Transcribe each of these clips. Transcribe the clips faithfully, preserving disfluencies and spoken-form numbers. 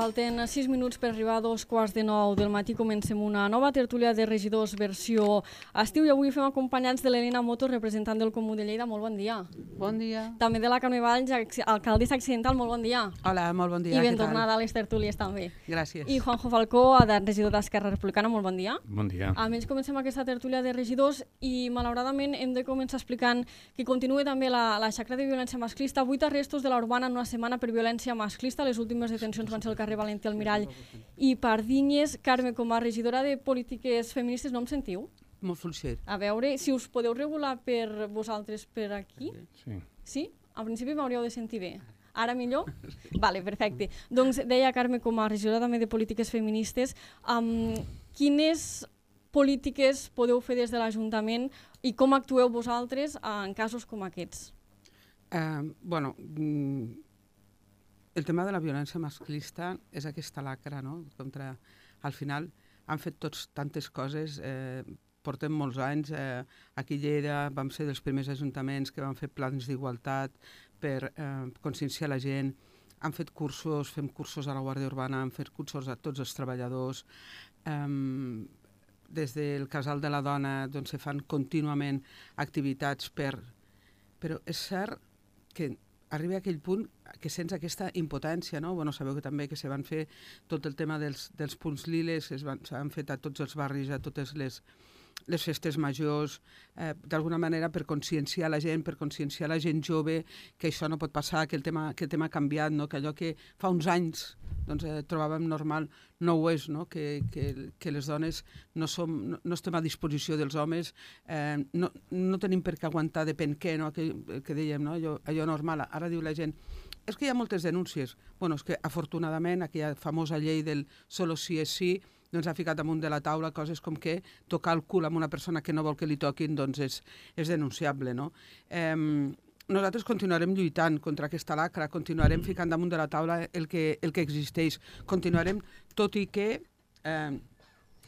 falten sis minuts per arribar a dos quarts de nou del matí. Comencem una nova tertúlia de regidors versió estiu i avui fem acompanyats de l'Helena Motos, representant del Comú de Lleida. Molt bon dia. Bon dia. També de la Carme Valls, alcaldessa accidental. Molt bon dia. Hola, molt bon dia. I ben tornada a les tertúlies també. Gràcies. I Juanjo Falcó, regidor d'Esquerra Republicana. Molt bon dia. Bon dia. A més, comencem aquesta tertúlia de regidors i malauradament hem de començar explicant que continua també la, la xacra de violència masclista. Vuit arrestos de la Urbana en una setmana per violència masclista. Les últimes detencions van ser al carrer Valentí Almirall i Pardinyes. Carme, com a regidora de polítiques feministes, no em sentiu? Molt fluixer. A veure, si us podeu regular per vosaltres per aquí? Sí. Sí? Al principi m'hauríeu de sentir bé. Ara millor? Vale, perfecte. Doncs deia Carme, com a regidora també de polítiques feministes, um, quines polítiques podeu fer des de l'Ajuntament i com actueu vosaltres en casos com aquests? Uh, bueno, mm, el tema de la violència masclista és aquesta lacra, no? Contra, al final han fet tots tantes coses, eh, portem molts anys, eh, aquí a Lleida vam ser dels primers ajuntaments que van fer plans d'igualtat per eh, conscienciar la gent, han fet cursos, fem cursos a la Guàrdia Urbana, han fet cursos a tots els treballadors, eh, des del Casal de la Dona doncs, se fan contínuament activitats per... Però és cert que arriba a aquell punt que sents aquesta impotència, no? Bueno, sabeu que també que se van fer tot el tema dels, dels punts liles, s'han fet a tots els barris, a totes les, les festes majors, eh, d'alguna manera per conscienciar la gent, per conscienciar la gent jove que això no pot passar, que el tema, que el tema ha canviat, no? Que allò que fa uns anys doncs, eh, trobàvem normal no ho és, no? Que, que, que les dones no, som, no, no estem a disposició dels homes, eh, no, no tenim per què aguantar depèn què, no? que, que dèiem, no? allò, allò normal. Ara diu la gent, és que hi ha moltes denúncies. Bueno, és que afortunadament aquella famosa llei del solo sí és sí doncs ha ficat damunt de la taula coses com que tocar el cul amb una persona que no vol que li toquin doncs és, és denunciable, no? Eh, nosaltres continuarem lluitant contra aquesta lacra, continuarem ficant damunt de la taula el que, el que existeix, continuarem, tot i que eh,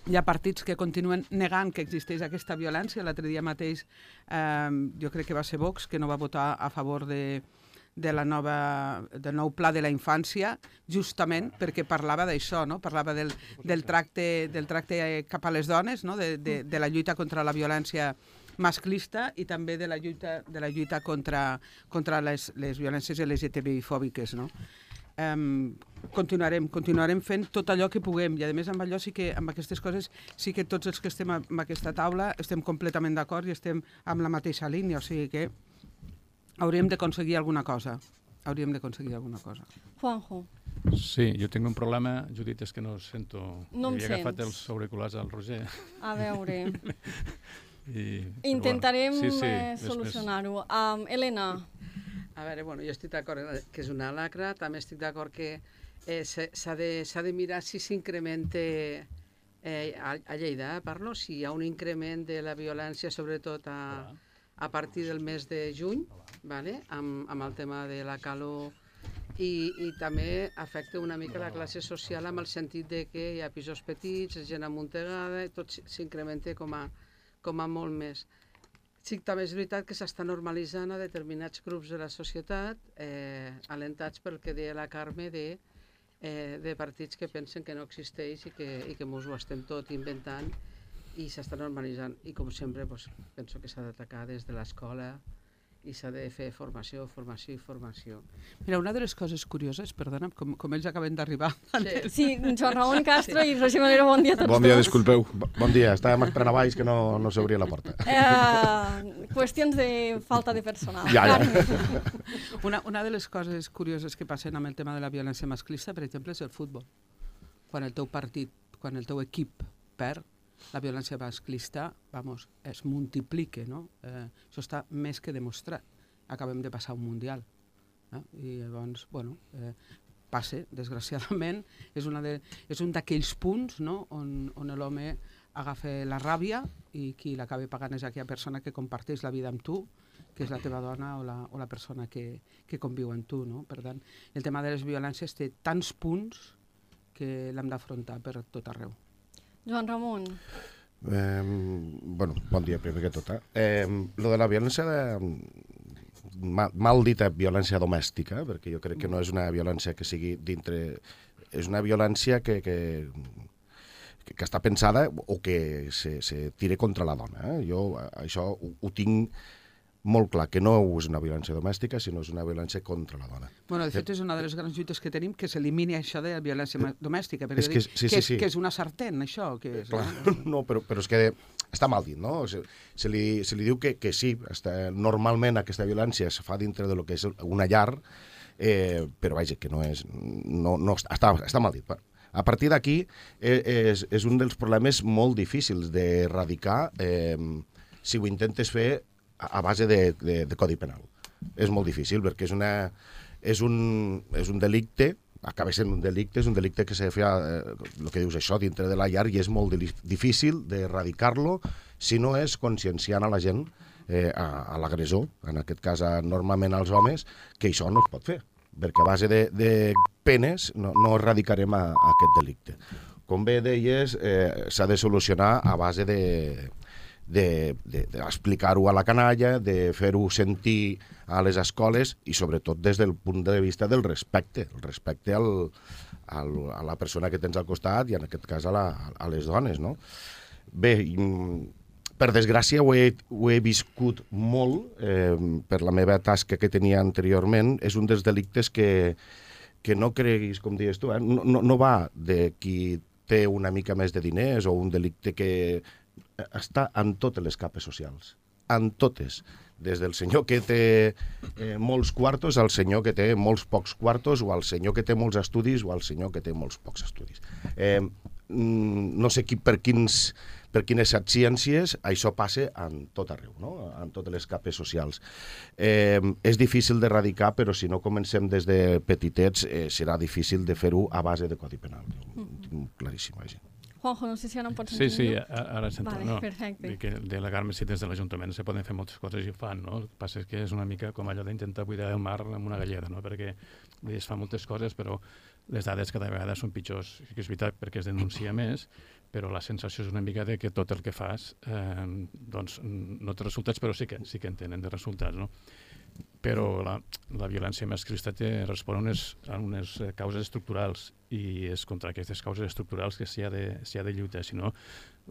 hi ha partits que continuen negant que existeix aquesta violència. L'altre dia mateix eh, jo crec que va ser Vox, que no va votar a favor de, de la nova, del nou pla de la infància, justament perquè parlava d'això, no? Parlava del, del, tracte, del tracte cap a les dones, no? de, de, de la lluita contra la violència masclista i també de la lluita, de la lluita contra, contra les, les violències L G T B I-fòbiques, no? Um, continuarem, continuarem fent tot allò que puguem i a més amb allò sí que, amb aquestes coses sí que tots els que estem en aquesta taula estem completament d'acord i estem amb la mateixa línia, o sigui que hauríem d'aconseguir alguna cosa hauríem d'aconseguir alguna cosa. Juanjo. Sí, jo tinc un problema, Judit, és que no sento... No em Havia sents. agafat els auriculars al Roger. A veure... I, Intentarem bueno, sí, sí, eh, solucionar-ho. Um, Helena. A veure, bueno, jo estic d'acord que és una lacra, també estic d'acord que eh, s'ha de, s'ha de mirar si s'incrementa eh, a, a Lleida, eh, parlo, si hi ha un increment de la violència, sobretot a, a partir del mes de juny, vale? amb, amb el tema de la calor, i, i també afecta una mica la classe social amb el sentit de que hi ha pisos petits, gent amuntegada, i tot s'incrementa com a com a molt més. Sí, també és veritat que s'està normalitzant a determinats grups de la societat, eh, alentats pel que deia la Carme, de, eh, de partits que pensen que no existeix i que, i que mos ho estem tot inventant i s'està normalitzant. I com sempre, doncs, penso que s'ha d'atacar des de l'escola i s'ha de fer formació, formació i formació. Mira, una de les coses curioses, perdona, com, com ells acaben d'arribar... Sí. Sí, Joan Ramon Castro i Roger Manero, bon dia a tots Bon dia, dos. disculpeu. Bon dia, estàvem esperant a baix que no, no s'obria la porta. Eh, qüestions de falta de personal. Ja, ja. Una, una de les coses curioses que passen amb el tema de la violència masclista, per exemple, és el futbol. Quan el teu partit, quan el teu equip perd, la violència masclista, vamos, es multiplica, no? Eh, això està més que demostrat. Acabem de passar un mundial. Eh? I llavors, bueno, eh, passa, desgraciadament, és, una de, és un d'aquells punts, no? on, on l'home agafa la ràbia i qui l'acaba pagant és aquella persona que comparteix la vida amb tu, que és la teva dona o la, o la persona que, que conviu amb tu, no? Per tant, el tema de les violències té tants punts que l'hem d'afrontar per tot arreu. Joan Ramon. Eh, bueno, bon dia, primer que tot. Eh, lo de la violència, de, mal, mal dita violència domèstica, perquè jo crec que no és una violència que sigui dintre és una violència que, que, que, que està pensada o que se, se tira contra la dona. Eh? Jo això ho, ho tinc molt clar, que no és una violència domèstica, sinó és una violència contra la dona. Bueno, de fet, és una de les grans lluites que tenim, que s'elimini això de la violència domèstica, perquè és que, sí, que, sí, és, sí. que és una sartén, això. Que és, Clar, no, però, però és que està mal dit, no? Se, se, li, se li diu que, que sí, està, normalment aquesta violència es fa dintre de lo que és una llar, eh, però vaja, que no és... No, no, està, està mal dit. A partir d'aquí és, és un dels problemes molt difícils d'erradicar eh, si ho intentes fer a base de, de, de codi penal. És molt difícil, perquè és, una, és, un, és un delicte, acaba sent un delicte, és un delicte que se fa, eh, el que dius això, dintre de la llar, i és molt difícil d'erradicar-lo si no és conscienciant a la gent, eh, a, a l'agressor, en aquest cas a, normalment als homes, que això no es pot fer, perquè a base de, de penes no, no erradicarem a, a aquest delicte. Com bé deies, eh, s'ha de solucionar a base de... d'explicar-ho a la canalla, de fer-ho sentir a les escoles i sobretot des del punt de vista del respecte, el respecte al, al, a la persona que tens al costat i en aquest cas a, la, a les dones, no? Bé, per desgràcia ho he, ho he viscut molt eh, per la meva tasca que tenia anteriorment. És un dels delictes que, que no creguis, com dius tu, eh? no, no, no va de qui té una mica més de diners o un delicte que està en totes les capes socials, en totes, des del senyor que té eh, molts quartos al senyor que té molts pocs quartos, o al senyor que té molts estudis o al senyor que té molts pocs estudis. Eh, no sé qui, per, quins, per quines ciències això passa en tot arreu, no? En totes les capes socials. Eh, és difícil d'erradicar, però si no comencem des de petitets eh, serà difícil de fer-ho a base de codi penal. Ho tinc claríssim, això. Juanjo, no sé si ara em pots Sí, sentir sí, millor. ara sento. Vale, no, perfecte. que delegar-me si des de l'Ajuntament se poden fer moltes coses i ho fan, no? El que passa és que és una mica com allò d'intentar buidar el mar amb una galleda, no? Perquè es fan moltes coses, però les dades cada vegada són pitjors. Sí que és veritat perquè es denuncia més, però la sensació és una mica de que tot el que fas eh, doncs no té resultats, però sí que, sí que en tenen de resultats, no? Però la, la violència masclista té, respon a unes, a unes causes estructurals i és contra aquestes causes estructurals que s'hi ha, de, s'hi ha de lluitar, si no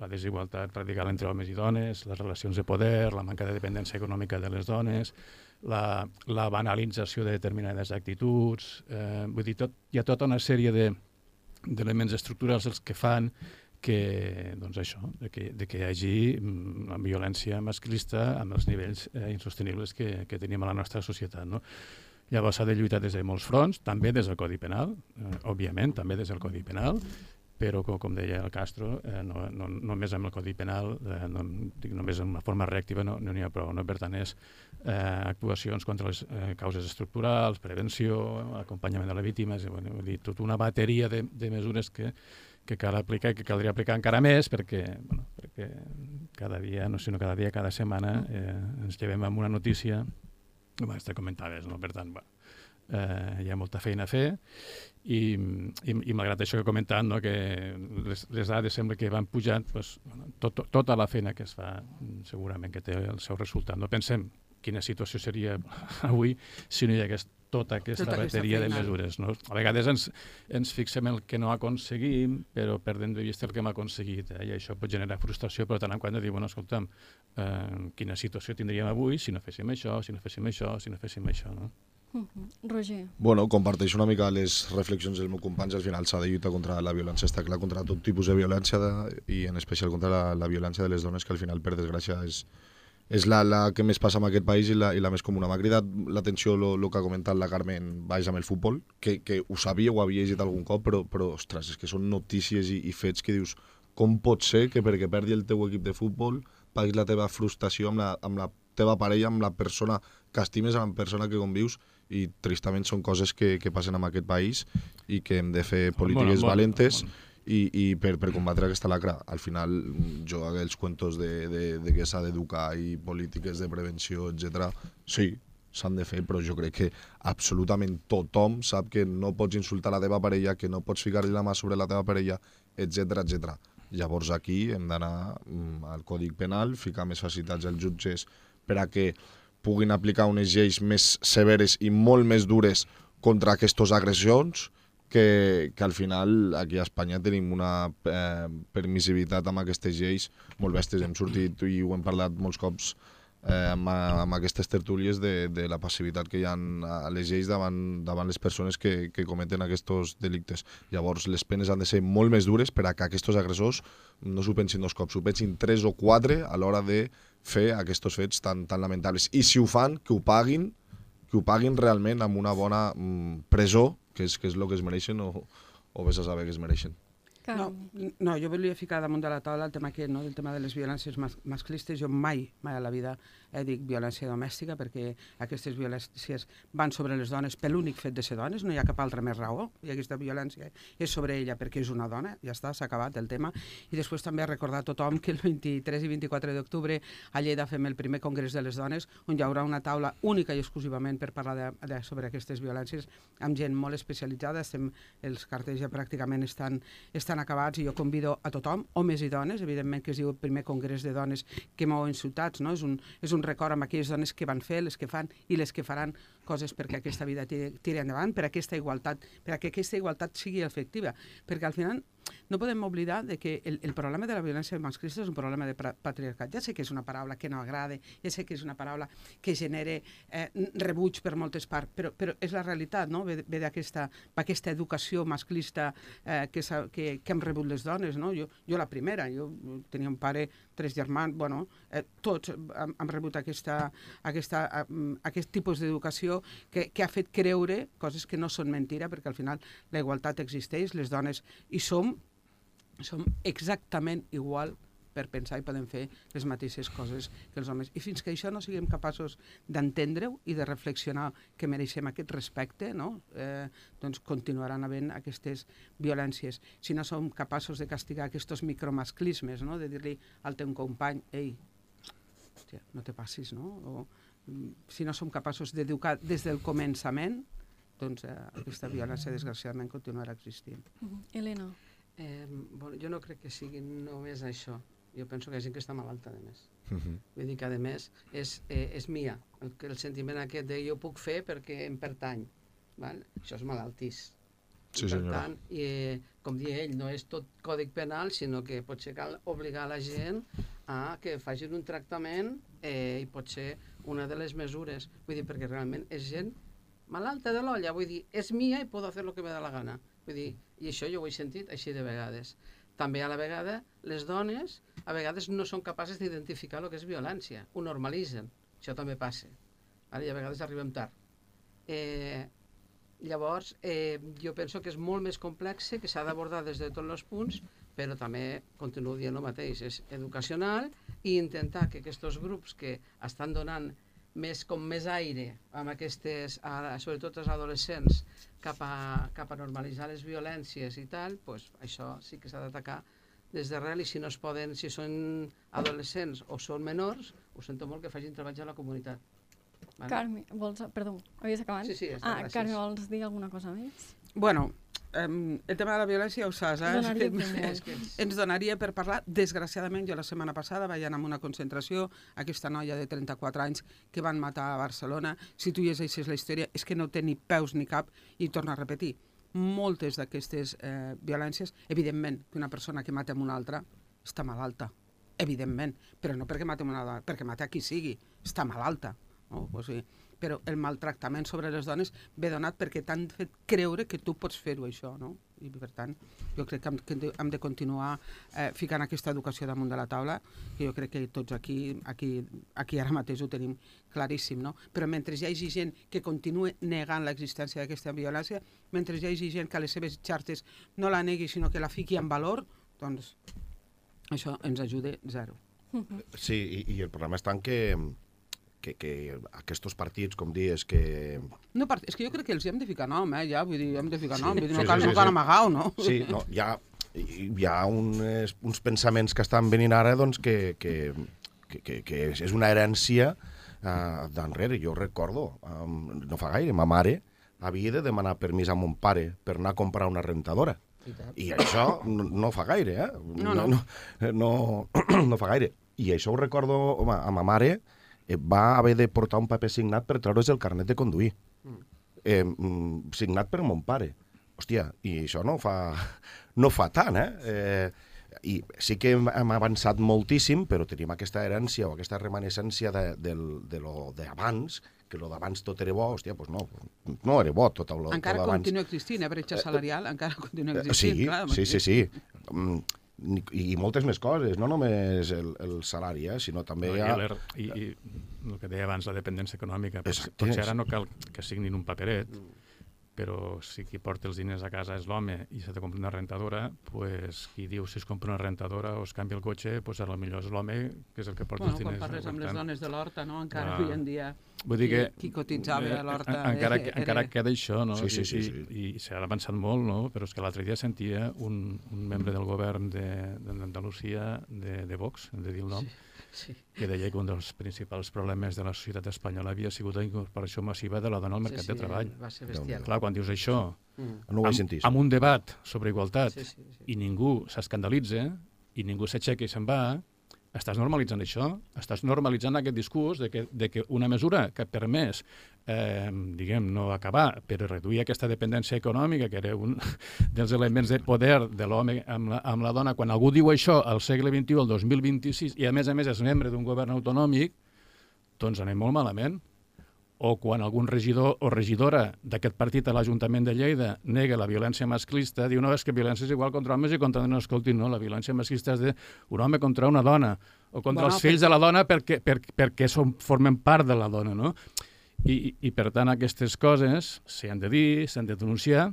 la desigualtat radical entre homes i dones, les relacions de poder, la manca de dependència econòmica de les dones, la, la banalització de determinades actituds, eh, vull dir, tot, hi ha tota una sèrie de, d'elements estructurals els que fan que, doncs això, de que, de que hi hagi una violència masclista amb els nivells eh, insostenibles que, que tenim a la nostra societat, no? Llavors s'ha de lluitar des de molts fronts, també des del Codi Penal, eh, òbviament, també des del Codi Penal, però com, com deia el Castro, eh, no, no, només amb el Codi Penal, eh, no, dic, només en una forma reactiva no n'hi no ha prou, no? Per tant, és eh, actuacions contra les eh, causes estructurals, prevenció, acompanyament de les víctimes, eh, bueno, vull dir, tota una bateria de, de mesures que que cal aplicar i que caldria aplicar encara més perquè, bueno, perquè cada dia, no sé, no cada dia, cada setmana eh, ens llevem amb una notícia, com te comentaves, no? Per tant, va, eh, hi ha molta feina a fer i, i, i malgrat això que he comentat, no? Que les, les dades sembla que van pujant, pues, bueno, tot, tota la feina que es fa segurament que té el seu resultat. No pensem quina situació seria avui si no hi hagués tota aquesta tota bateria de mesures, no? A vegades ens, ens fixem en el que no aconseguim, però perdem de vista el que hem aconseguit, eh? I això pot generar frustració, però tant en quant de dir, bueno, escolta'm, eh, quina situació tindríem avui si no féssim això, si no féssim això, si no féssim això, no? Uh-huh. Roger. Bueno, comparteixo una mica les reflexions del meu company. Al final s'ha de lluitar contra la violència, està clar, contra tot tipus de violència de, i en especial contra la, la violència de les dones, que al final, per desgràcia, és és la, la que més passa en aquest país i la, i la més comuna. M'ha cridat l'atenció el que ha comentat la Carmen baix amb el futbol, que, que ho sabia o ho havia llegit algun cop, però, però ostres, és que són notícies i, i fets que dius, com pot ser que perquè perdi el teu equip de futbol paguis la teva frustració amb la, amb la teva parella, amb la persona que estimes, amb la persona que convius, i tristament són coses que, que passen en aquest país i que hem de fer polítiques bueno, valentes bueno, bueno. I, i per, per combatre aquesta lacra. Al final, jo aquells cuentos de, de, de que s'ha d'educar i polítiques de prevenció, etcètera, sí, s'han de fer, però jo crec que absolutament tothom sap que no pots insultar la teva parella, que no pots ficar-li la mà sobre la teva parella, etcètera, etcètera. Llavors aquí hem d'anar al Codi Penal, ficar més facilitats als jutges per a que puguin aplicar unes lleis més severes i molt més dures contra aquestes agressions, que, que al final aquí a Espanya tenim una eh, permissivitat amb aquestes lleis molt bèsties. Hem sortit i ho hem parlat molts cops eh, amb, amb aquestes tertúlies de, de la passivitat que hi ha a les lleis davant, davant les persones que, que cometen aquests delictes. Llavors, les penes han de ser molt més dures per a que aquests agressors no s'ho pensin dos cops, s'ho pensin tres o quatre a l'hora de fer aquests fets tan, tan lamentables. I si ho fan, que ho paguin, que ho paguin realment amb una bona mm, presó, que és, que és el que es mereixen o, o vés a saber que es mereixen. No, no, jo volia ficar damunt de la taula el tema aquest, no? Del tema de les violències mas masclistes. Jo mai, mai a la vida eh, dic violència domèstica, perquè aquestes violències van sobre les dones per l'únic fet de ser dones, no hi ha cap altra més raó, i aquesta violència és sobre ella perquè és una dona, ja està, s'ha acabat el tema. I després també recordar a tothom que el vint-i-tres i vint-i-quatre d'octubre a Lleida fem el primer congrés de les dones, on hi haurà una taula única i exclusivament per parlar de, de, sobre aquestes violències, amb gent molt especialitzada. Estem, els cartells ja pràcticament estan, estan acabats, i jo convido a tothom, homes i dones, evidentment que es diu el primer congrés de dones que mouen ciutats, no? És un, és un record amb aquelles dones que van fer, les que fan i les que faran coses perquè aquesta vida tiri, tiri endavant, per aquesta igualtat, per a que aquesta igualtat sigui efectiva, perquè al final no podem oblidar de que el, el problema de la violència masclista és un problema de patriarcat. Ja sé que és una paraula que no agrada, ja sé que és una paraula que genera eh, rebuig per moltes parts, però, però és la realitat, no? Ve, ve d'aquesta aquesta educació masclista eh, que, que, que hem rebut les dones, no? Jo, jo la primera, jo tenia un pare, tres germans, bueno, eh, tots hem, hem rebut aquesta, aquesta, eh, aquest tipus d'educació que, que ha fet creure coses que no són mentira, perquè al final la igualtat existeix, les dones hi som, som exactament igual per pensar i podem fer les mateixes coses que els homes. I fins que això no siguem capaços d'entendre-ho i de reflexionar que mereixem aquest respecte, no? eh, doncs continuaran havent aquestes violències. Si no som capaços de castigar aquests micromasclismes, no? De dir-li al teu company, ei, hòstia, no te passis, no? O, si no som capaços d'educar des del començament, doncs eh, aquesta violència desgraciadament continuarà existint. Uh-huh. Helena. Eh, bueno, jo no crec que sigui només això. Jo penso que hi ha gent que està malalta, a més. Uh -huh. Vull dir que, a més, és, eh, és mia. El, el sentiment aquest de jo puc fer perquè em pertany. Val? Això és malaltís. Sí, I, per senyora. tant, i, eh, com dia ell, no és tot còdic penal, sinó que potser cal obligar la gent a que facin un tractament eh, i pot ser una de les mesures. Vull dir, perquè realment és gent malalta de l'olla. Vull dir, és mia i puc fer el que me da la gana. Vull dir, i això jo ho he sentit així de vegades. També a la vegada, les dones a vegades no són capaces d'identificar el que és violència. Ho normalitzen. Això també passa. Ara, I a vegades arribem tard. Eh, llavors, eh, jo penso que és molt més complex, que s'ha d'abordar des de tots els punts, però també, continuo dient el mateix, és educacional i intentar que aquests grups que estan donant més, com més aire amb aquestes, a, sobretot els adolescents, cap a, cap a normalitzar les violències i tal, pues això sí que s'ha d'atacar des d'arrel, i si no es poden, si són adolescents o són menors, ho sento molt que facin treballs a la comunitat. Vale? Carme, vols... Perdó, havies acabat? Sí, sí, està, ah, gràcies. Carme, vols dir alguna cosa més? Bueno, Um, el tema de la violència ho saps, eh? Donaria que, per és que ens donaria per parlar. Desgraciadament, jo la setmana passada vaig anar a una concentració, aquesta noia de trenta-quatre anys que van matar a Barcelona. Si tu llegeixes la història, és que no té ni peus ni cap, i torno a repetir, moltes d'aquestes eh, violències, evidentment que una persona que mata amb una altra està malalta, evidentment, però no perquè mata amb una altra, perquè mata a qui sigui, està malalta. No? O sigui, però el maltractament sobre les dones ve donat perquè t'han fet creure que tu pots fer-ho, això, no? I per tant, jo crec que hem, que hem de continuar eh, ficant aquesta educació damunt de la taula, que jo crec que tots aquí, aquí, aquí ara mateix ho tenim claríssim, no? Però mentre hi hagi gent que continue negant l'existència d'aquesta violència, mentre hi hagi gent que a les seves xarxes no la negui, sinó que la fiqui en valor, doncs això ens ajuda zero. Sí, i, i el problema està en que que, que aquests partits, com dius, que... No, és que jo crec que els hem de ficar nom, eh, ja, vull dir, hem de ficar Sí, nom, vull dir, sí, no cal, sí, no cal sí. amagar-ho, no? Sí, no, hi ha, hi ha uns, uns pensaments que estan venint ara doncs, que, que, que, que, que és una herència uh, d'enrere. Jo recordo, um, no fa gaire, ma mare havia de demanar permís a mon pare per anar a comprar una rentadora. I això no, no fa gaire, eh? No, no. No, no, no fa gaire. I això ho recordo, home, a ma mare va haver de portar un paper signat per treure's el carnet de conduir. Eh, signat per mon pare. hòstia, i això no fa, no fa tant, eh? eh I sí que hem, hem avançat moltíssim, però tenim aquesta herència o aquesta remanescència de, de, de lo d'abans, que lo d'abans tot era bo, hòstia, doncs no, no era bo tot lo encara tot abans. continua existint, eh, bretxa salarial, encara continua existint. Sí, clar, sí, sí, sí. I, I moltes més coses, no només el, el salari, eh, sinó també no, hi ha... I, i, I el que deia abans, la dependència econòmica. Exacte. Potser ara no cal que signin un paperet, però si qui porta els diners a casa és l'home i s'ha de comprar una rentadora, pues, qui diu si es compra una rentadora o es canvia el cotxe, pues, potser és l'home que és el que porta bueno, els diners. Quan parles amb les dones de l'Horta, no? encara ah, avui en dia vull dir que, qui, qui cotitzava a l'Horta... Eh, encara, eh, encara era... queda això, no? Sí, sí, sí, I, sí. i, i s'ha avançat molt, no? Però és que l'altre dia sentia un, un membre del govern d'Andalusia, de, de Vox, hem de dir el nom, Sí, sí. que deia que un dels principals problemes de la societat espanyola havia sigut la incorporació massiva de la dona al mercat sí, sí, de treball. va ser bestial. Clar, quan dius això, Mm. No ho vaig amb, sentir. amb un debat sobre igualtat, Sí, sí, sí. i ningú s'escandalitza, i ningú s'aixeca i se'n va, estàs normalitzant això, estàs normalitzant aquest discurs de que, de que una mesura que ha permès, eh, diguem, no acabar, però reduir aquesta dependència econòmica, que era un dels elements de poder de l'home amb, la, amb la dona, quan algú diu això al segle vint-i-u, al dos mil vint-i-sis, i a més a més és membre d'un govern autonòmic, doncs anem molt malament. O quan algun regidor o regidora d'aquest partit a l'Ajuntament de Lleida nega la violència masclista, diu, no, és que violència és igual contra homes i contra dones. No, escolti, no, la violència masclista és d'un home contra una dona, o contra Bueno, els fills perquè... de la dona perquè, perquè, perquè som, formen part de la dona, no? I, I, per tant, aquestes coses s'han de dir, s'han de denunciar,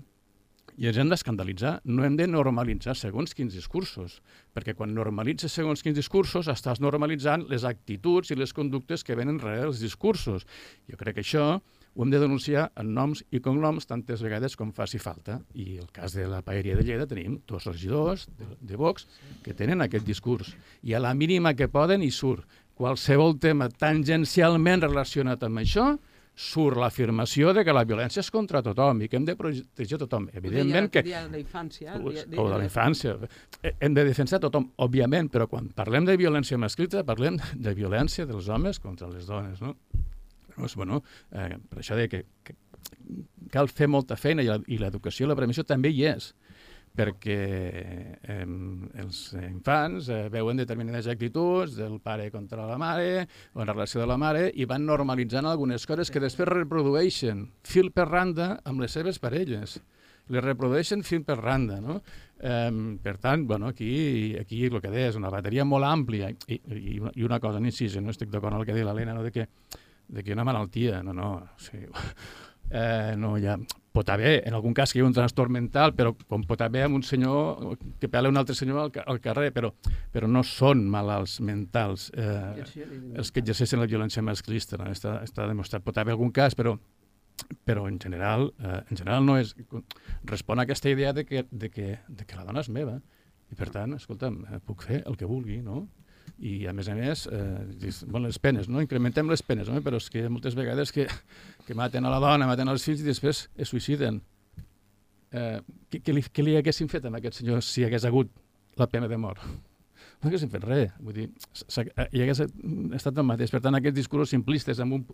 i ens hem d'escandalitzar. No hem de normalitzar segons quins discursos, perquè quan normalitzes segons quins discursos estàs normalitzant les actituds i les conductes que venen darrere dels discursos. Jo crec que això ho hem de denunciar en noms i cognoms tantes vegades com faci falta. I el cas de la paeria de Lleida tenim dos regidors de, de Vox que tenen aquest discurs. I a la mínima que poden hi surt qualsevol tema tangencialment relacionat amb això, surt l'afirmació de que la violència és contra tothom i que hem de protegir tothom. Evidentment que... El dia de la infància. O de la infància. Hem de defensar tothom, òbviament, però quan parlem de violència masclista parlem de violència dels homes contra les dones, no? Doncs, bueno, eh, per això de que, que cal fer molta feina i l'educació i la prevenció també hi és, perquè eh, els infants eh, veuen determinades actituds del pare contra la mare o en relació de la mare i van normalitzant algunes coses que després reprodueixen fil per randa amb les seves parelles. Les reprodueixen fil per randa, no? Eh, per tant, bueno, aquí, aquí el que deia és una bateria molt àmplia i, i, i una cosa, ni si no estic d'acord amb el que deia l'Helena, no? de, que, de que una malaltia, no, no, o sigui, eh, no hi ha... Pot haver, en algun cas, que hi ha un trastorn mental, però com pot haver amb un senyor que pela un altre senyor al, al carrer, però, però no són malalts mentals eh, els que exerceixen la violència masclista. No? Està, està demostrat. Pot haver algun cas, però, però en general, eh, en general no és... Respon a aquesta idea de que, de, que, de que la dona és meva. I per tant, escolta'm, puc fer el que vulgui, no? I a més a més, eh, bueno, les penes, no? Incrementem les penes, no? Però és que moltes vegades que, que maten a la dona, maten als fills i després es suïciden. Eh, què, què, li, què li haguessin fet a aquest senyor si hagués hagut la pena de mort? No haguessin fet res. Vull dir, hi hagués estat el mateix. Per tant, aquests discursos simplistes amb un,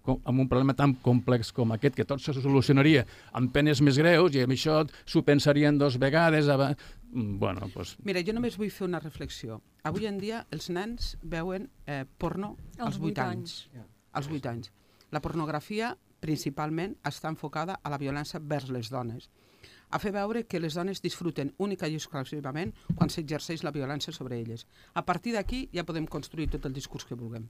amb un problema tan complex com aquest, que tot se solucionaria amb penes més greus i amb això s'ho pensarien dos vegades. Bueno, doncs... Mira, jo només vull fer una reflexió. Avui en dia els nens veuen eh, porno als vuit anys. Als vuit anys. La pornografia principalment està enfocada a la violència vers les dones, a fer veure que les dones disfruten única i exclusivament quan s'exerceix la violència sobre elles. A partir d'aquí ja podem construir tot el discurs que vulguem.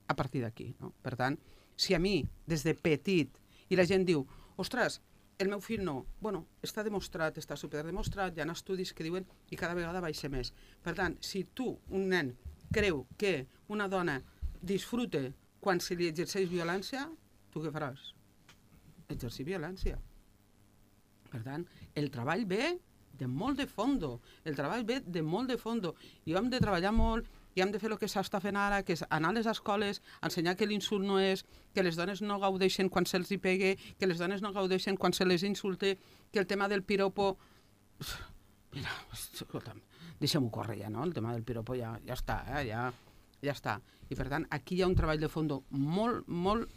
A partir d'aquí, no? Per tant, si a mi, des de petit, i la gent diu, ostres, el meu fill no, bueno, està demostrat, està superdemostrat, hi ha estudis que diuen i cada vegada baixa més. Per tant, si tu, un nen, creu que una dona disfruta quan se li exerceix violència, tu què faràs? Exercir violència. Per tant, el treball ve de molt de fondo, el treball ve de molt de fondo, i hem de treballar molt, i hem de fer el que s'està fent ara, que és anar a les escoles, ensenyar que l'insult no és, que les dones no gaudeixen quan se'ls hi pegue, que les dones no gaudeixen quan se les insulte, que el tema del piropo... Mira, escolta'm, deixem-ho córrer ja, no? El tema del piropo ja, ja està, eh? ja, ja està. I per tant, aquí hi ha un treball de fondo molt, molt,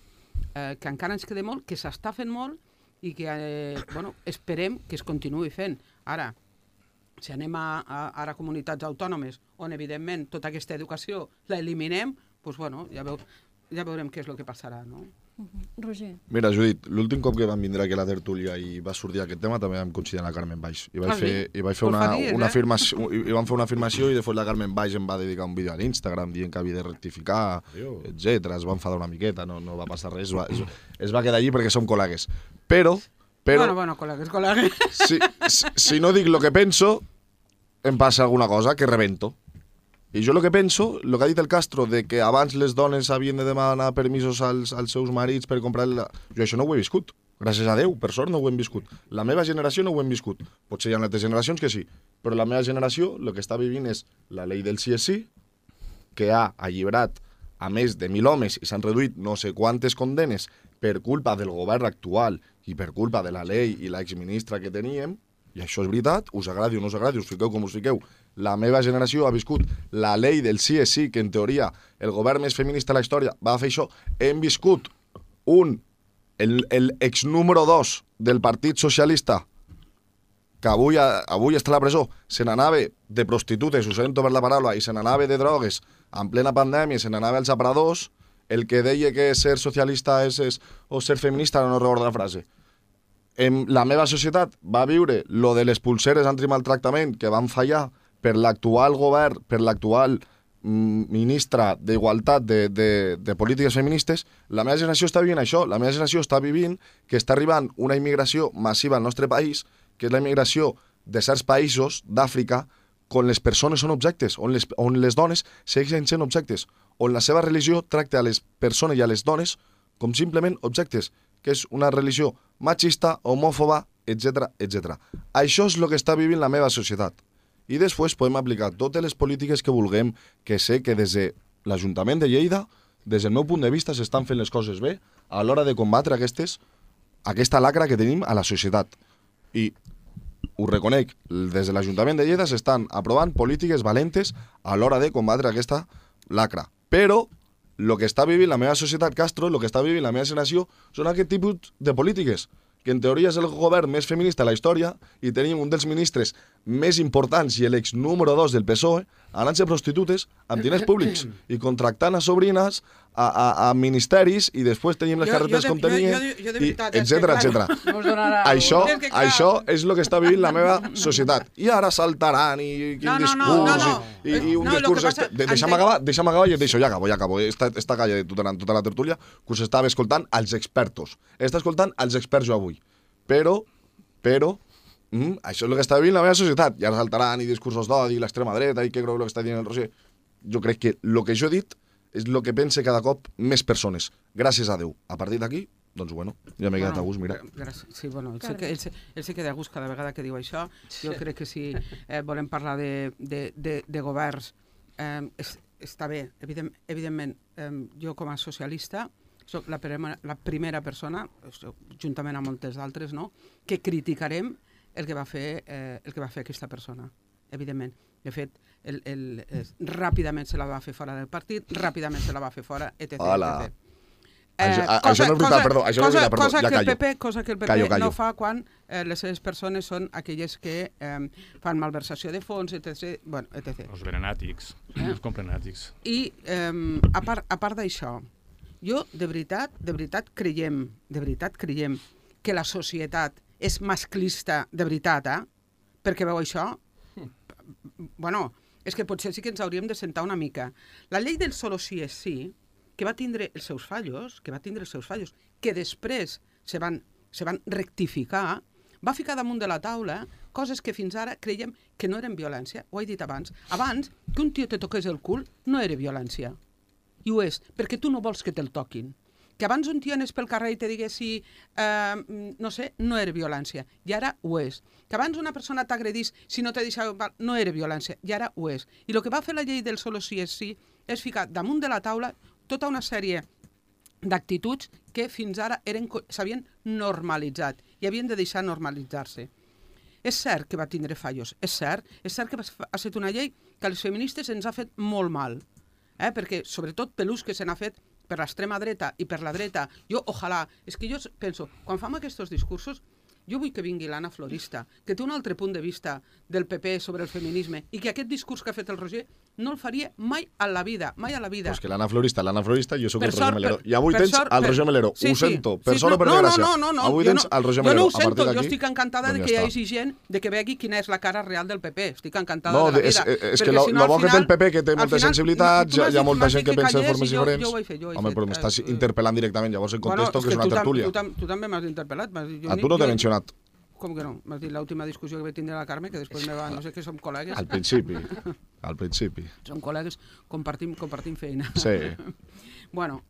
eh, que encara ens queda molt, que s'està fent molt, i que eh, bueno, esperem que es continuï fent. Ara, si anem a, a, a comunitats autònomes on, evidentment, tota aquesta educació la eliminem, doncs, bueno, ja, veu, ja veurem què és el que passarà, no? Uh-huh. Roger. Mira, Judit, l'últim cop que vam vindre aquí a la tertúlia i va sortir aquest tema també vam coincidir amb la Carmen Baix. I vaig Ah, fer, sí? i vaig fer una, Porfadies, una eh? afirmació, i, i vam fer una afirmació i després la Carmen Baix em va dedicar un vídeo a l'Instagram dient que havia de rectificar, etcètera. Es va enfadar una miqueta, no, no va passar res, es va, es, es va quedar allí perquè som col·legues. Però, però Bueno, bueno, col·legues, col·legues. si, si, si no dic el que penso, em passa alguna cosa que rebento. I jo el que penso, el que ha dit el Castro, de que abans les dones havien de demanar permisos als, als seus marits per comprar... La... Jo això no ho he viscut. Gràcies a Déu, per sort no ho hem viscut. La meva generació no ho hem viscut. Potser hi ha altres generacions que sí, però la meva generació el que està vivint és la llei del sí és sí, que ha alliberat a més de mil homes i s'han reduït no sé quantes condenes per culpa del govern actual i per culpa de la llei i l'exministra que teníem, i això és veritat, us agradi o no us agradi, us fiqueu com us fiqueu. La meva generació ha viscut la llei del sí és sí, que en teoria el govern més feminista de la història va fer això. Hem viscut un, el, el ex número dos del Partit Socialista, que avui, avui està a la presó, se n'anava de prostitutes, ho sento per la paraula, i se n'anava de drogues en plena pandèmia, se n'anava als aparadors, el que deia que ser socialista és, és, o ser feminista, no recordo la frase. En la meva societat va viure lo de les pulseres antimaltractament que van fallar per l'actual govern, per l'actual mm, ministra d'Igualtat de, de, de polítiques feministes. La meva generació està vivint això. La meva generació està vivint que està arribant una immigració massiva al nostre país, que és la immigració de certs països d'Àfrica on les persones són objectes, on les, on les dones segueixen sent objectes, on la seva religió tracta a les persones i a les dones com simplement objectes, que és una religió machista, homòfoba, etcètera, etcètera. Això és el que està vivint la meva societat. I després podem aplicar totes les polítiques que vulguem, que sé que des de l'Ajuntament de Lleida, des del meu punt de vista, s'estan fent les coses bé a l'hora de combatre aquestes, aquesta lacra que tenim a la societat. I ho reconec, des de l'Ajuntament de Lleida s'estan aprovant polítiques valentes a l'hora de combatre aquesta lacra. Però el que està vivint la meva societat, Castro, el que està vivint la meva generació, són aquest tipus de polítiques, que en teoria és el govern més feminista de la història i tenim un dels ministres més importants i l'ex número dos del P S O E anant-se prostitutes amb diners públics i contractant a sobrines a, a, a ministeris i després tenim les Jo- carreteres jo de- com tenien, jo- jo- jo de i veritat, és que, etcètera, clar, etcètera. No us donarà... Això, És que, clar. això és el que està vivint la meva societat. I ara saltaran i quin No, no, discurs no, no, no. i, i, i un No, lo discurs... que passa- este- de- Deixa'm entenc- acabar, deixa'm acabar i et deixo, ja acabo, ja acabo. Esta, esta calla durant tota la tertúlia que us estava escoltant als expertos. Està escoltant als experts jo avui. Però, però, mm, això és el que està vivint la meva societat. I ara saltaran i discursos d'odi, l'extrema dreta i què creu el que està dient el Roger. Jo crec que el que jo he dit és el que pense cada cop més persones. Gràcies a Déu. A partir d'aquí, doncs bueno, ja m'he quedat a gust, mira. Gràcies. Sí, bueno, ell, se, que- ell, se, ell se queda a gust cada vegada que diu això. Jo crec que si eh, volem parlar de, de, de, de governs, eh, és, està bé, evident, evidentment, eh, jo com a socialista soc la, prima, la primera persona, soc, juntament amb moltes d'altres, no?, que criticarem el que va fer, eh, el que va fer aquesta persona, evidentment. De fet, el, el, el, ràpidament se la va fer fora del partit, ràpidament se la va fer fora, etcètera, Hola. etcètera. Això- a- això no és veritat, perdó, això no és cosa, veritat, perdó, cosa ja que el callo. P P, cosa que el P P Callo, callo. no fa quan eh, les seves persones són aquelles que eh, fan malversació de fons, etcètera. Bueno, etcètera. Els verenàtics, els comprenàtics. I eh, a part, a part d'això, jo de veritat, de veritat creiem, de veritat creiem que la societat és masclista de veritat, eh? Perquè veu això? Bueno, és que potser sí que ens hauríem de sentar una mica. La llei del solo sí és sí, que va tindre els seus fallos, que va tindre els seus fallos, que després se van, se van rectificar, va ficar damunt de la taula coses que fins ara creiem que no eren violència. Ho he dit abans. Abans, que un tio te toqués el cul no era violència. I ho és, perquè tu no vols que te'l toquin. Que abans un tio anés pel carrer i te diguessi, eh, no sé, no era violència, i ara ho és. Que abans una persona t'agredís si no te deixava, no era violència, i ara ho és. I el que va fer la llei del solo sí és sí és ficar damunt de la taula tota una sèrie d'actituds que fins ara eren s'havien normalitzat i havien de deixar normalitzar-se. És cert que va tindre fallos, és cert, és cert que ha estat una llei que a les feministes ens ha fet molt mal, eh? Perquè sobretot per l'ús que se n'ha fet per l'extrema dreta i per la dreta, jo, ojalà, és que jo penso, quan fam aquests discursos, jo vull que vingui l'Anna Florista, que té un altre punt de vista del P P sobre el feminisme i que aquest discurs que ha fet el Roger no el faria mai a la vida, mai a la vida. Pues que l'Anna Florista, l'Anna Florista, jo sóc Per el Roger sort, Melero. per- I avui per tens sort, el per- Roger Melero. sí, Ho sí. sento, Sí, per sort o per no, no, desgràcia. no, no, no, Avui jo tens no- el Roger Jo Melero. no ho A partir sento, jo d'aquí, estic encantada de doncs que hi ja hagi gent de que vegi quina és la cara real del P P. Estic encantada No, de la és, vida. és que Perquè lo, si no, lo al bo que té el final- P P, que té al moltes final, sensibilitats, tu hi ha, m'has hi ha dit- molta m'has gent dit que pensa de callés formes i jo- diferents. jo ho he fet, jo ho he Home, fet. però m'estàs Eh, interpel·lant directament, llavors em Bueno, contesto és que és una tu tam- tertúlia. Tu, tam- tu també m'has interpel·lat. m'has dit, jo A ni- tu no t'he jo- mencionat. Com que no? M'has dit l'última discussió que vaig tindre a la Carme, que després me va... No sé què som col·legues. Al principi. Al principi. Som col·legues, compartim, compartim feina. Sí. Bueno,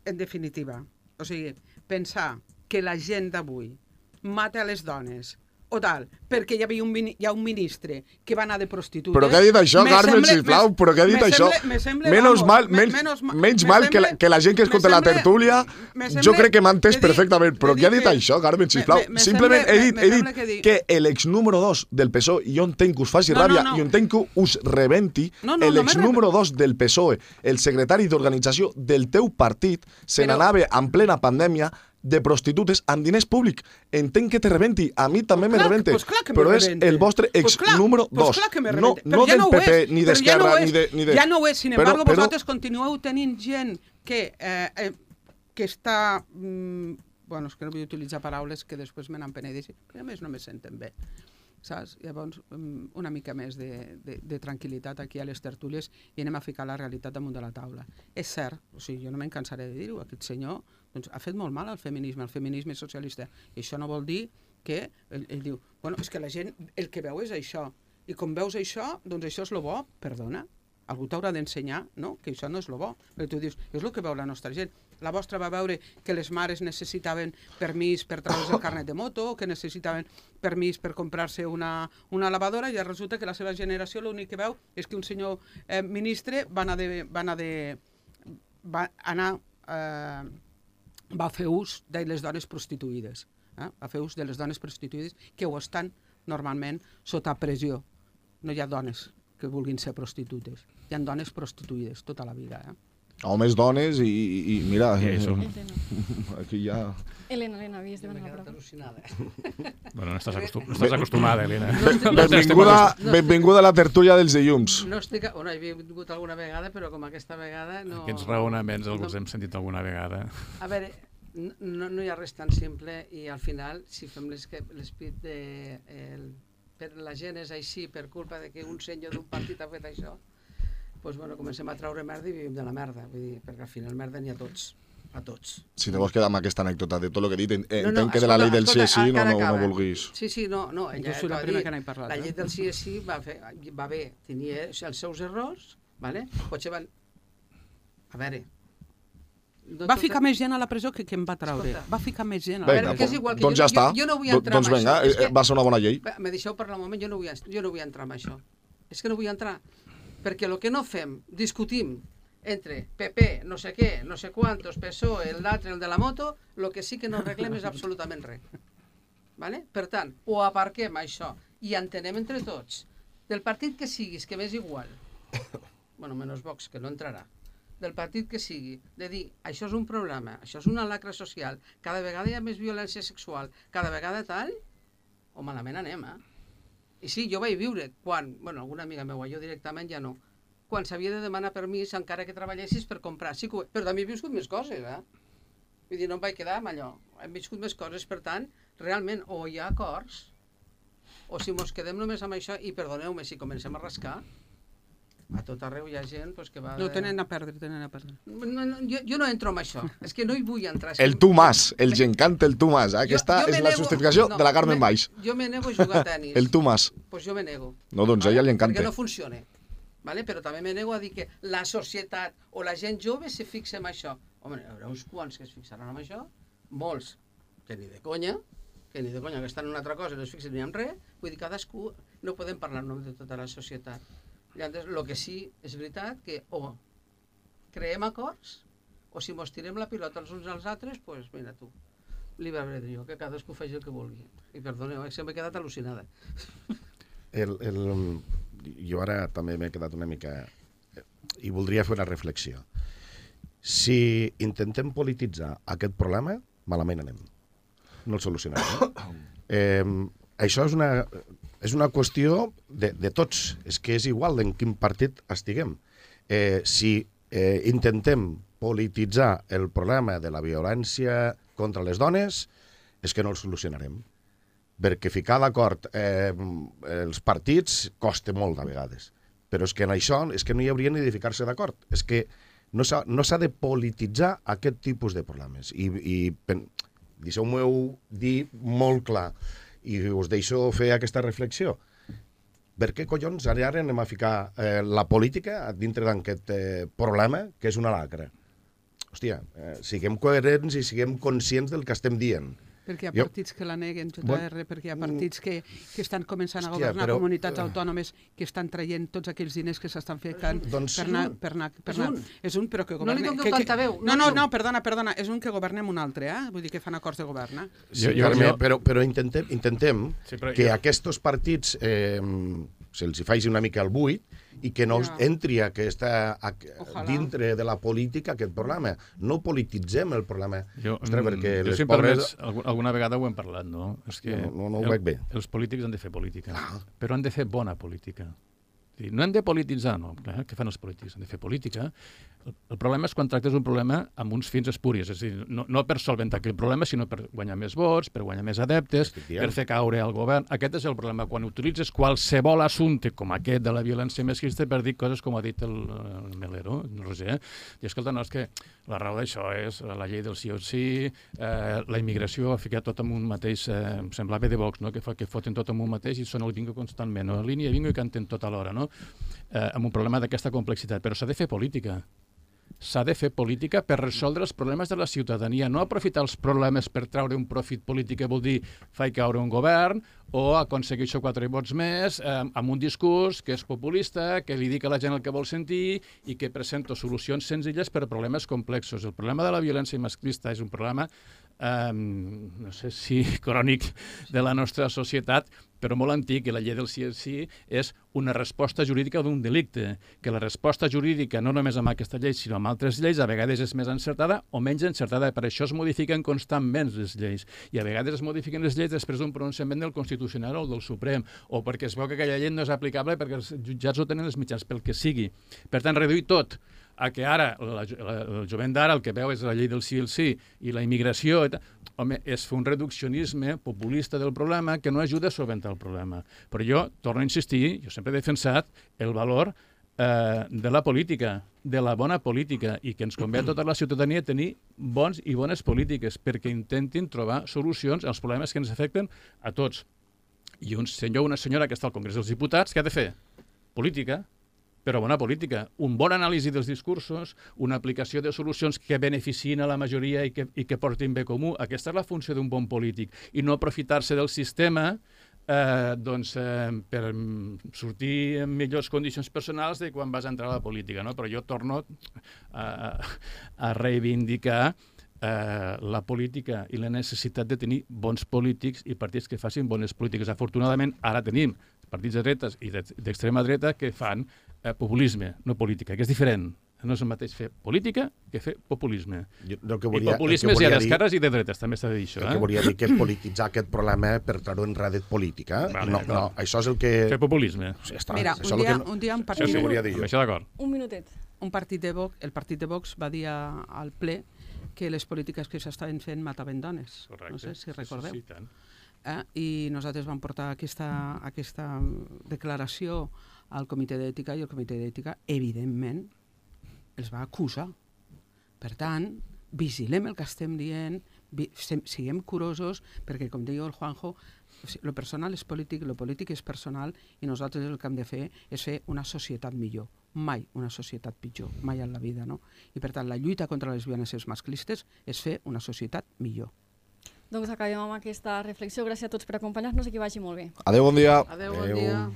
en definitiva, o sigui, pensar que la gent d'avui mata a les dones o tal, perquè hi havia un, mini- hi ha un ministre que va anar de prostitutes... Però què ha dit això, me Carmen, sembla- sisplau? me- Però què ha dit me això? sembla- me sembla, Menos vamos, mal, me- menys, menos ma- menys me mal que la, sembla- que la gent que me escolta la sembla- tertúlia, me jo sembla- crec que m'ha entès he dit- perfectament. Però he què ha dit dit que- això, Carmen, me- sisplau? me- me Simplement sembla- he dit, me he sembla dit que di- que l'ex número dos del P S O E, jo entenc que us faci No, no, ràbia no. i entenc que us rebenti, No, no, no l'ex me número dos del P S O E, el secretari d'organització del teu partit, se Però- n'anava en plena pandèmia de prostitutes amb diners públics. Entenc que te rebenti, a mi també me clar- rebente, pues clar que me però és rebente. el vostre Pues ex clar- número pues dos. clar que me no rebente. no Però ja del no ho P P, és, ni però ja d'Esquerra, no ho ni és. de... Ni de... Ja no ho és, sin Però- embargo, però- vosaltres continueu tenint gent que, eh, eh, que està... Mm, bueno, és que no vull utilitzar paraules que després me n'empenedeixen, que a més no me senten bé. Saps? Llavors, mm, una mica més de, de, de tranquil·litat aquí a les tertúlies i anem a ficar la realitat damunt de la taula. És cert, o sigui, jo no me'n cansaré de dir-ho, aquest senyor doncs, ha fet molt mal al feminisme, al feminisme socialista, i això no vol dir que ell, ell diu, bueno, és que la gent el que veu és això, i com veus això, doncs això és lo bo, perdona, algú t'haurà d'ensenyar, no?, que això no és lo bo, perquè tu dius, és el que veu la nostra gent. La vostra va veure que les mares necessitaven permís per treure's el carnet de moto, que necessitaven permís per comprar-se una, una lavadora, i resulta que la seva generació l'únic que veu és que un senyor eh, ministre va anar de... Va anar, de, va anar eh, va fer ús de les dones prostituïdes. Eh? Va fer ús de les dones prostituïdes que ho estan normalment sota pressió. No hi ha dones que vulguin ser prostitutes. Hi ha dones prostituïdes tota la vida. Eh? Homes, dones i, i, i mira, I això. aquí ja... Elena, Elena, havies de M'he demanar la quedat paraula. al·lucinada. Bueno, no estàs, acostum no estàs acostumada, Elena. Benvinguda, benvinguda a la tertúlia dels dilluns. No estic... Bueno, he vingut alguna vegada, però com aquesta vegada no... Aquests raonaments els hem sentit alguna vegada. A veure, no, no hi ha res tan simple i al final, si fem l'esprit de... El, per la gent és així per culpa de que un senyor d'un partit ha fet això, doncs bueno, comencem a traure merda i vivim de la merda, vull dir, perquè al final merda n'hi ha tots, a tots. Si te vols quedar amb aquesta anècdota de tot el que he dit, entenc No, no, que de la escolta, llei del sí escolta, és sí no, encara no, no acaba. vulguis. Sí, sí, no, no, ella Jo soy la acaba de primera dir, que n'he parlat, la eh? llei del sí és sí va, fer, va bé, tenia els seus errors, vale? Potser van... A veure... No Va tot- ficar més gent a la presó que que em va treure. Escolta. Va ficar més gent a la Vinga, veure, que és igual que doncs jo- ja està. jo- jo no vull Do- entrar doncs en vinga, això, és eh, que- va ser una bona llei. Va, me deixeu parlar un moment, jo no vull, jo no vull entrar en això. És que no vull entrar. Perquè el que no fem, discutim entre P P, no sé què, no sé quantos, P S O E, l'altre, el de la moto, el que sí que no arreglem és absolutament res. Vale? Per tant, o aparquem això i entenem entre tots, del partit que siguis, que m'és igual, bueno, menys Vox, que no entrarà, del partit que sigui, de dir, això és un problema, això és una lacra social, cada vegada hi ha més violència sexual, cada vegada tal, o malament anem, eh? I sí, jo vaig viure quan, bueno, alguna amiga meua, jo directament ja no, quan s'havia de demanar permís encara que treballessis per comprar, sí que ho... però també he viscut més coses, eh? Vull dir, no em vaig quedar amb allò, hem viscut més coses, per tant, realment, o hi ha acords, o si mos quedem només amb això, i perdoneu-me si comencem a rascar, a tot arreu hi ha gent pues, que va... No, tenen a perdre, tenen a perdre. No, no, jo, jo no entro en això, és que no hi vull entrar. El tu más, els encanta el tu más. Eh? Aquesta Jo- jo és me la nego- justificació no, de la Carmen me- Baix. Jo me nego a jugar a tenis. El tu más. Pues jo me nego. No, doncs a ella li encanta. Perquè no funciona. Vale? Però també me nego a dir que la societat o la gent jove se fixa en això. Home, hi haurà uns quants que es fixaran en això, molts que ni de conya, que ni de conya, que estan en una altra cosa i no es fixen ni en res, vull dir, cadascú no podem parlar en nom de tota la societat. Llavors, el que sí és veritat que o creem acords o si mos tirem la pilota els uns als altres, doncs pues, mira tu, llibre albedrío, que cadascú faci el que vulgui. I perdoneu, eh, se m'he quedat al·lucinada. El, el, jo ara també m'he quedat una mica... I voldria fer una reflexió. Si intentem polititzar aquest problema, malament anem. No el solucionarem. Eh, això és una, és una qüestió de, de tots. És que és igual en quin partit estiguem. Eh, si eh, intentem polititzar el problema de la violència contra les dones, és que no el solucionarem. Perquè ficar d'acord eh, els partits costa molt de vegades. Però és que en això és que no hi hauria ni de ficar-se d'acord. És que no s'ha no s'ha de polititzar aquest tipus de problemes. I, i deixeu-m'ho dir molt clar, i us deixo fer aquesta reflexió. Per què collons ara anem a ficar eh, la política dintre d'aquest eh, problema que és una lacra? Hòstia, eh, siguem coherents i siguem conscients del que estem dient. Perquè hi ha Jo- partits que la neguen, J R, Bueno, perquè hi ha partits que, que estan començant a hòstia, governar però- comunitats autònomes que estan traient tots aquells diners que s'estan ficant Doncs- per anar... Per anar, per És anar. un. És un, però que No governa... li doneu que, que... tanta veu, No, no no, li no, doneu. perdona, perdona, és un que governem un altre, eh? Vull dir que fan acords de govern, eh? Sí, Jo- jo- Carme, jo- però, però intentem, intentem Sí, però que jo- aquests partits eh, se'ls hi faci una mica el buit i que no Ja. entri aquesta, a, Ojalà. dintre de la política aquest problema. No polititzem el problema. Jo, Ostres, mm, perquè jo les si em pobres... permets, algu- alguna vegada ho hem parlat, no? És que No, no, no ho el- veig bé. Els polítics han de fer política, però han de fer bona política. És a dir, no hem de polititzar, no. Clar, què fan els polítics? Han de fer política. El, el problema és quan tractes un problema amb uns fins espuris, és a dir, no, no per solventar aquell problema, sinó per guanyar més vots, per guanyar més adeptes, Estic dient. per fer caure el govern. Aquest és el problema. Quan utilitzes qualsevol assumpte com aquest de la violència masclista per dir coses com ha dit el, el Melero, el Roger, i escolta, no, és que la raó d'això és la llei del sí o sí, eh, la immigració, ha ficat tot en un mateix, eh, em semblava de Vox, no? que, fa, que foten tot en un mateix i són el bingo constantment, no? línia bingo i canten tot alhora, no? eh, amb un problema d'aquesta complexitat. Però s'ha de fer política. S'ha de fer política per resoldre els problemes de la ciutadania, no aprofitar els problemes per treure un profit polític que vol dir fer caure un govern o aconsegueixo quatre vots més eh, amb un discurs que és populista, que li dic a la gent el que vol sentir i que presento solucions senzilles per a problemes complexos. El problema de la violència masclista és un problema eh, no sé si crònic de la nostra societat, però molt antic, i la llei del sí és sí és una resposta jurídica d'un delicte, que la resposta jurídica, no només amb aquesta llei, sinó amb altres lleis, a vegades és més encertada o menys encertada. Per això es modifiquen constantment les lleis, i a vegades es modifiquen les lleis després d'un pronunciament del Constitucional o del Suprem, o perquè es veu que aquella llei no és aplicable perquè els jutjats no tenen els mitjans pel que sigui. Per tant, reduir tot a que ara la, la, el jovent d'ara el que veu és la llei del sí el sí i la immigració, i home, és fer un reduccionisme populista del problema que no ajuda a solventar el problema. Però jo torno a insistir, jo sempre he defensat el valor eh, de la política, de la bona política, i que ens convé a tota la ciutadania tenir bons i bones polítiques perquè intentin trobar solucions als problemes que ens afecten a tots. I un senyor o una senyora que està al Congrés dels Diputats, què ha de fer? Política, però bona política. Un bon anàlisi dels discursos, una aplicació de solucions que beneficien a la majoria i que, i que portin bé comú. Aquesta és la funció d'un bon polític. I no aprofitar-se del sistema eh, doncs, eh, per sortir en millors condicions personals de quan vas entrar a la política. No? Però jo torno a, a reivindicar eh, la política i la necessitat de tenir bons polítics i partits que facin bones polítiques. Afortunadament, ara tenim partits de dretes i d'extrema dreta que fan eh, populisme, no política, que és diferent. No és el mateix fer política que fer populisme. Jo, el que I volia, populisme el que hi ha volia dir, d'esquerres i de dretes, també s'ha de dir això. el que Eh? volia dir que polititzar aquest problema per treure en redet política. Vale, no, no, això és el que... Fer populisme. Ja està, Mira, això és un el dia, que no- un dia un Això partit, sí, volia dir jo. amb això d'acord. Un minutet. un partit de Vox, el partit de Vox va dir a- al ple que les polítiques que s'estaven fent mataven dones. Correcte. No sé si recordeu. Sí, sí, tant. Eh? I nosaltres vam portar aquesta, aquesta declaració al comitè d'ètica i el comitè d'ètica, evidentment, els va acusar. Per tant, vigilem el que estem dient, vi, sem, siguem curosos, perquè, com deia el Juanjo, o sigui, lo personal és polític, lo polític és personal, i nosaltres el que hem de fer és fer una societat millor, mai una societat pitjor, mai en la vida, no? I per tant, la lluita contra les violències masclistes és fer una societat millor. Doncs acabem amb aquesta reflexió. Gràcies a tots per acompanyar-nos i que vagi molt bé. Adéu, bon dia. Adéu, bon Adéu. dia.